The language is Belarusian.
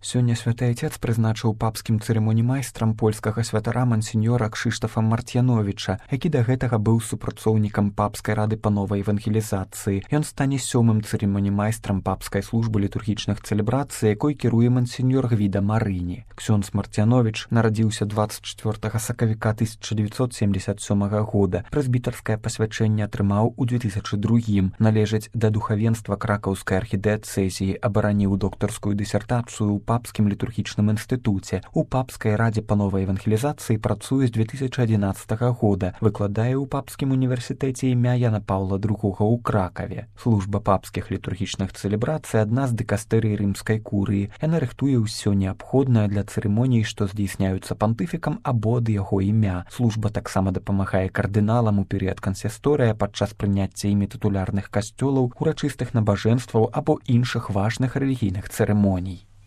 Сёння святы Айцец прызначыў папскім цырымоніймайстрам польскага святара мансіньора Кшыштафа Марцьяновіча, які да гэтага быў супрацоўнікам папскай рады па новай евангелізацыі. Ён стане 7-м цырымоніймайстрам папскай службы літургічных цэлебрацый, якой кіруе мансіньор Гвіда Марыні. Ксёндз Марцьяновіч нарадзіўся 24 сакавіка 1977 года. Прэзбітарскае пасвячэнне атрымаў у 2002-м. Належыць да духавенства кракаўскай архідыацэзіі, абараніў доктарскую дысертацыю ў папскім літургічным інстытуце. У папскай радзе па новай евангелізацыі працуе з 2011 года, выкладае ў папскім універсітэце імя Яна Паўла II ў Кракаве. Служба папскіх літургічных цэлебрацый адна з дыкастэрый рымскай курыі. Яна рыхтуе ўсё неабходнае для цырымоній, што здзейсняюцца пантыфікам або ад яго імя. Служба таксама дапамагае кардыналам у перыяд кансісторыя падчас прыняцця імі тытулярных касцёлаў, урачыстых набажэнстваў або іншых важных рэлігійных цырымоній.